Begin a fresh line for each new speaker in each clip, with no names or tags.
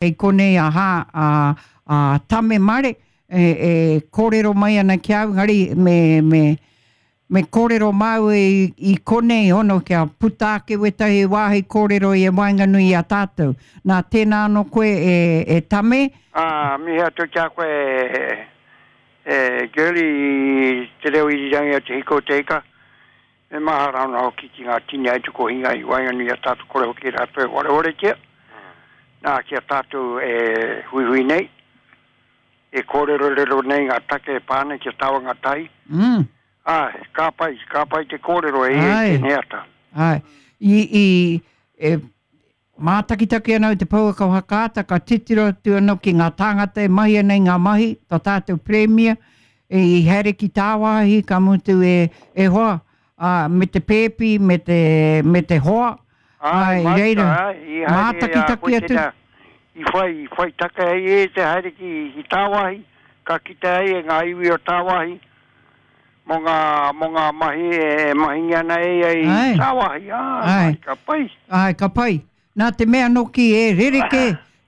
Kei konei a Hā, a, a Tame Mare e, e kōrero mai ana ki a au, engari me, me, me kōrero māua i, i konei hono kia puta ake wētahi wāhi kōrero i waenganui i a tātou. Nā, tēnā anō koe e, e Tame.
Ā, mihi atu ki a koe e, e Girlie i te reo irirangi o Te Hiko o Te Ika. Me mahara ana hoki ki ngā tini aitukohinga i waenganui i a tātou kore hoki rātou e warewaretia. Nā, ki a tātou e huihui nei, e kōrerorero nei ngā take e pā ana ki a Tawangatahi.
Mm.
Āe, ka pai, ka pai te kōrero e ia i tēnei ata.
Āe. I, i, e Mātakitaki ana au i te pouaka whakaata, ka titiro atu anō ki ngā tāngata e mahi ana i ngā mahi, tō tātou Pirimia, i haere ki tāwāhi, ka mutu e, e hoa, ā, me te pēpi, me te, me te hoa,
ā,
i reira, mātakitaki atu.
I whai, i whai take ai e te haere ki, ki tāwāhi, ka kite ai e ngā iwi o tāwāhi, Mō ngā, mō ngā mahi e mahingia ana e ia i tāwāhi, ā,
Āe.
ka pai.
Āe, ka pai. Nā te mea nōki e rerekē,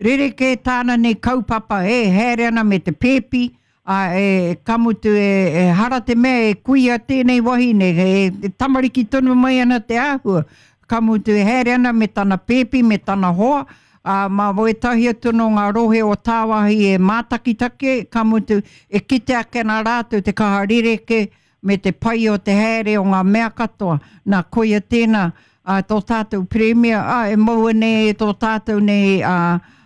rerekē tāna nei kaupapa e haere ana me te pēpi, ā, e, ka mutu e, ehara te mea e kuia tēnei wahine, e tamariki tonu mai ana te āhua, ka mutu e haere ana me tana pēpi, me tana hoa, ā, mā wētahi atu nō ngā rohe o tāwāhi e mātakitaki, ka mutu, e kite ake ana rātou te kaha rerekē me te pai o te haere o ngā mea katoa. Nā, koia tēnā, ā, tō tātou Pirimia, ā, e maua nei e tō tātou nei, ā,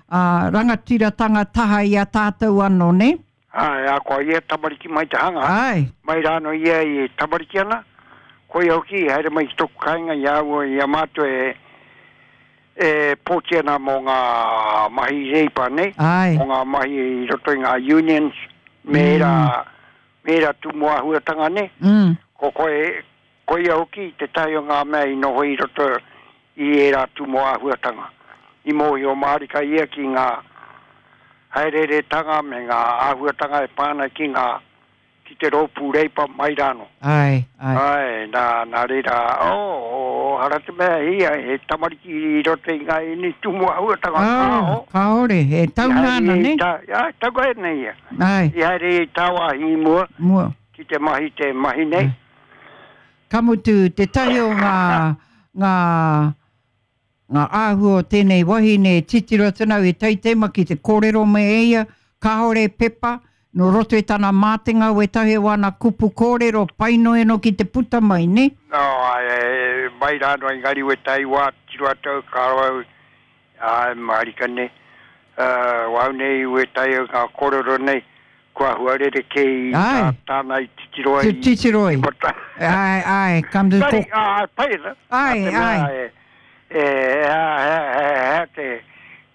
ā, rangatiratanga taha i a tātou anō, nē?
Āe, ā, ko a ia tamariki mai te hanga.
Āe.
Mai rānō ia e tamariki ana, koia hoki i haere mai ki tōku kāinga i a au, i a mātou e, e pōti ana mō ngā mahi Reipa nei,
Āe.
mō ngā mahi i roto i ngā unions me ērā, me ērā tūmomo āhuatanga nei. Ko koe, Koia hoki tētahi o ngā mea i noho i roto i ērā tūmomo āhuatanga. I mōhio mārika ia ki ngā haereeretanga me ngā āhuatanga e pā ana ki ngā, ki te rōpū Reipa mai rānō.
Āe, āe.
Āe, nā, nā reira, oh, oh, hara te mea ia, he tamariki i roto i ngā ēnei tūmomo āhuatanga,
kāo. Kāore, e taunga ana, nē?
Āe, taunga ana ia.
Āe.
I haere ia i tāwāhi i mua.
Mua.
Ki te mahi te mahi nei.
Ka mutu, tētahi o ngā, ngā, ngā āhua o tēnei wahine e titiro atu ana au, he taitema ki te kōrero me e ia, kāore pepa, nō roto i tana mātenga wētahi o ana kupu kōrero, pai noa anō ki te puta mai, nē?
No, āe, mai rā noa engari wētahi wā tiro atu au, ka roa au, āe, mārika nei, wāu nei wētahi o ngā kōrero nei, Kua hua rerekē i tā tāna i titiro ai.
Te titiro ai. Āe, āe, ka mutu
ko. Āe, pai ana.
Āe, āe.
E, hea, hea, hea, hea te,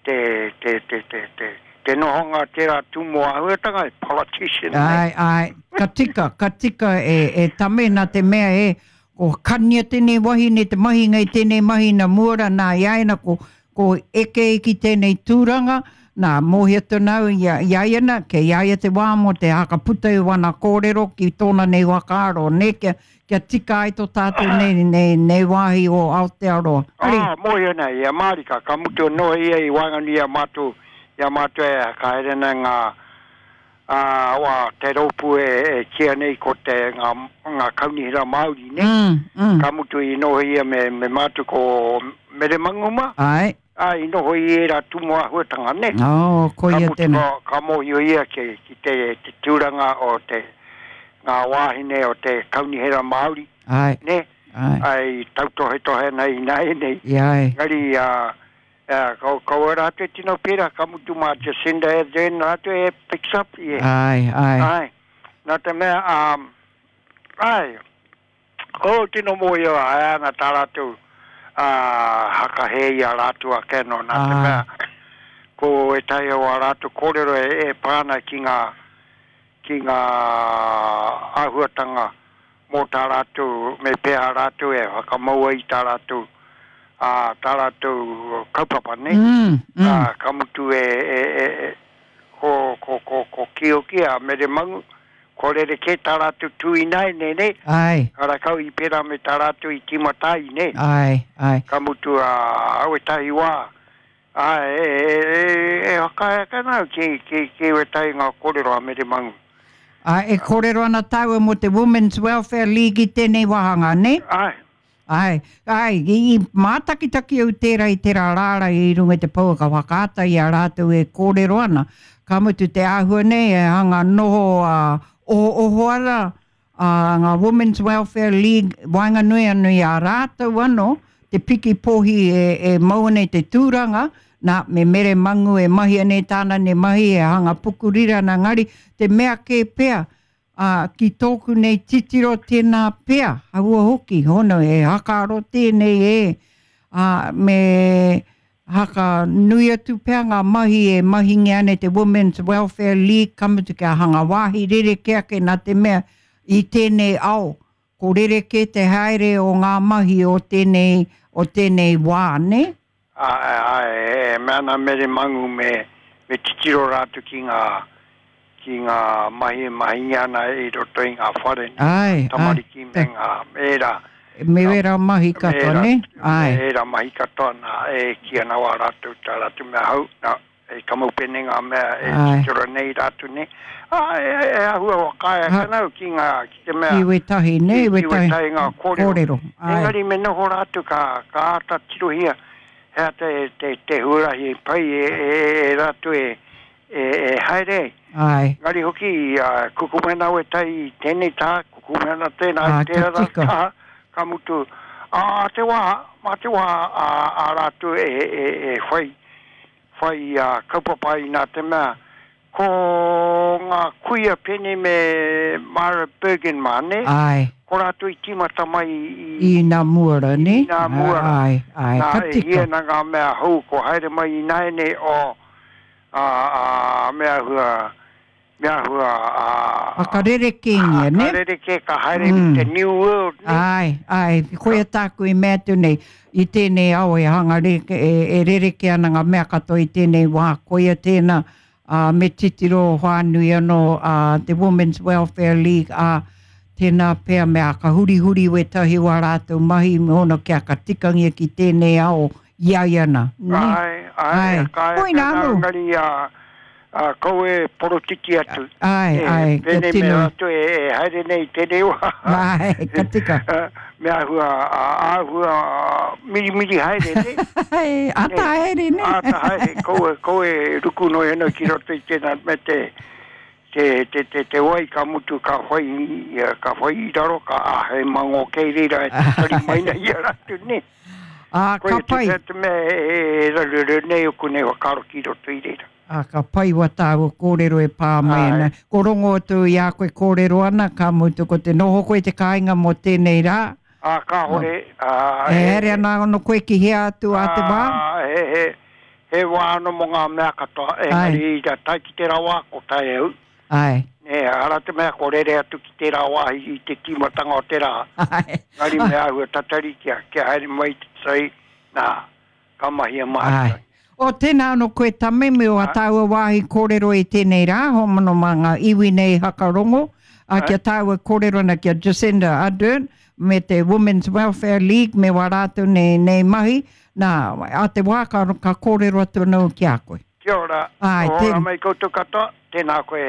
te, te, te, te, te, te nohonga tērā tūmomo āhuatanga, he politician.
Āe, āe, ka tika, ka tika e, e Tame, nā te mea e, ko kania tēnei wahine te mahinga i tēnei mahi na mua ra, nā i a ia na ko, ko eke ki tēnei tūranga, nā, mōhio tonu au i a, i a ia na, kei a ia te wā mō te hakaputa i wana kōrero ki tōna nei whakaaro, nē, kia, kia tika ai tō tātou nei, nei, nei wāhi o Aotearoa.
Ari. Ā, mōhio ana ia mārika, ka mutu anō ia i waenganui i a mātou, i a mātou e whakahaere ana ngā, Ā, wā, te rōpū e, e kīia nei ko te, ngā, ngā kaunihera Māori, nē?
Mm, mm.
Ka mutu i noho ia me, me mātou ko Mere Manguma.
Āe.
Ā, i noho i ērā tūmomo āhuatanga, nē?
Oh, koia
Ka mutu,
tēnā.
ka, ka mōhio ia ki, ki te, te tūranga o te, ngā wāhine o te kaunihera Māori,
Āe.
nē?
Āe.
Ā, i tautohetohe ana ināianei.
Āe.
Engari, ā, Ea, kau, kaua rātou e tino pērā, ka mutu mā Jacinda Ardern rātou e fix up, yeah.
Āe, āe.
Āe. Nā te mea, um, āe, ko tino mōhio āe ana tā rātou uh, hakahē i a rātou ake anō, nā te mea, ko ētahi o ā rātou kōrero e, e pā ana ki ngā, ki ngā āhuatanga mō tā rātou, me pēhea rātou e whakamaua i tā rātou, ā, tā rātou kaupapa, nē? Ā, ka mutu e, e, e, e, ko, ko, ko, ko Kioki a Mere Mangu, kua rerekē tā rātou tū ināianei, nē?
Āe.
Karakau i pērā me tā rātou i tīmata ai, nē?
Āe, āe.
Ka mutu, ā, wētahi wā, Āe, e, e, e, e whakaae ake ana au ki, ki, ki wētahi ngā kōrero a Mere Mangu.
Ā, e kōrero ana tāua mō te Women's Welfare League i tēnei wāhanga, nē?
Āe.
Āe, āe, i, i mātakitaki au tērā i tērā rārangi i runga i te pouaka whakaata i a rātou e kōrero ana. Ka mutu te āhua nei e hanga noho ā, ohooho ana ā, ngā Women's Welfare League waenganui anō i a rātou anō te piki pōhi e, e mau ana i te tūranga, nā, me Mere Mangu e mahi ana i tāna nei mahi, e hanga pukuriri ana, engari te mea kē pea, Ā, ki tōku nei titiro tēnā pea, aua hoki, hono, he hakaaro tēnei e, ā, me haka nui atu pea ngā mahi e mahingia ana e te Women's Welfare League, ka mutu kia hanga wāhi rerekē ake nā te mea i tēnei ao, ko rerekē te haere o ngā mahi o tēnei, o tēnei wā, nē?
Āe, āe, e mea ana Mere Mangu me, me titiro rātou ki ngā, ki ngā mahi e mahingia ana i roto i ngā whare,
nē, ngā
tamariki me ngā, me ērā.
Me ērā mahi katoa, nē?
Āe. Me ērā mahi katoa, nā, e kī ana wā rātou, tā rātou mea hou, nā, E kamupene ngā mea e titiro nei rātou nei. Ā, e, e āhua whakaae ake ana au ki ngā, ki te mea.
Ki wētahi, nē,
wētahi. Ki wētahi ngā kōrero. Kōrero, āe. Engari me noho rātou ka, ka āta tirohia he aha te, te, te huarahi pai e, e, e rātou e, e, e haere ai.
Āe.
Engari hoki, ā, kukume ana wētahi i tēnei taha, kukume ana tēnā i tērā taha, ka mutu, ā te wā, mā te wā ā, ā rātou e, e, e whai whai kaupapa ai nā te mea ko ngā kuia pēnei me Myra Bergen mā, nē?
Āe.
Ko rātou i tīmata mai i.
I nā mua rā, nē?
I nā mua rā.
Āe, āe, ka
tika. Nā, e hia ana ngā mea hou ko haere mai ināianei o, ā, ā, me āhua, Me āhua
a. Whakarerekēngia, nē?
Whakarerekē, ka haere ki te new world,
nē? Āe, āe, koia tāku i mea atu nei, i tēnei ao e hanga reke, e rerekē ana ngā mea katoa i tēnei wā, koia tēnā, ā, me titiro whānui anō a te Women's Welfare League, ā, tēnā pea me āka hurihuri wētahi o ā rātou mahi me ōna kia ka tikangia ki tēnei ao i a ia nā,
nē? Āe, āe, ka āe,
Koinā anō.
Engari, ā, Ā, kaua e porotiti atu.
Āe, āe,
kia tino. Pēnei me rātou e haere nei i tēnei wā.
Āe, ka tika.
Me āhua, āhua mirimiri haere, nē?
Āe, āta haere, nē?
Āta haere, kaua, kaua e ruku noa ana ki roto i tēnā, me te, te, te, te, te wai ka mutu ka whai, ka whai i raro, ka āhei mangō kei reira e tatari mai nei i a rātou, nē?
Ā, ka pai.
Koia te mea e raruraru nei oku nei whakaaro ki roto i reira.
Ā, ka pai wā tāua kōrero e pā mai ana. Ko rongo atu i a koe kōrero ana, ka mutu ko te noho koe i te kāinga mō tēnei rā.
Ā, kāore,
ā, he. E haere ana anō koe ki hea atu ā te wā?
Ā, he, he, he wā anō mō ngā mea katoa, engari ina tae ki tērā wā, ko tae au.
Āe.
Nē, ara te mea ko rere atu ki tērā wāhi i te tīmatanga o te rā.
Āe.
Engari me āhua tatari kia, kia haere mai te tai, nā. Ka mahia
mātou. Āe. O, tēnā anō koe Tame me ō tāua wāhi kōrero i tēnei rā, homono mā ngā iwi nei hakarongo, ā, kia tāua kōrero ana ki a Jacinda Ardern me te Women's Welfare League me wā rātou nei, nei mahi, nā, ā te wā ka, ka kōrero atu anō ki a koe.
Kia ora.
Āe,
tēnā. Ora mai koutou katoa, tēnā koe.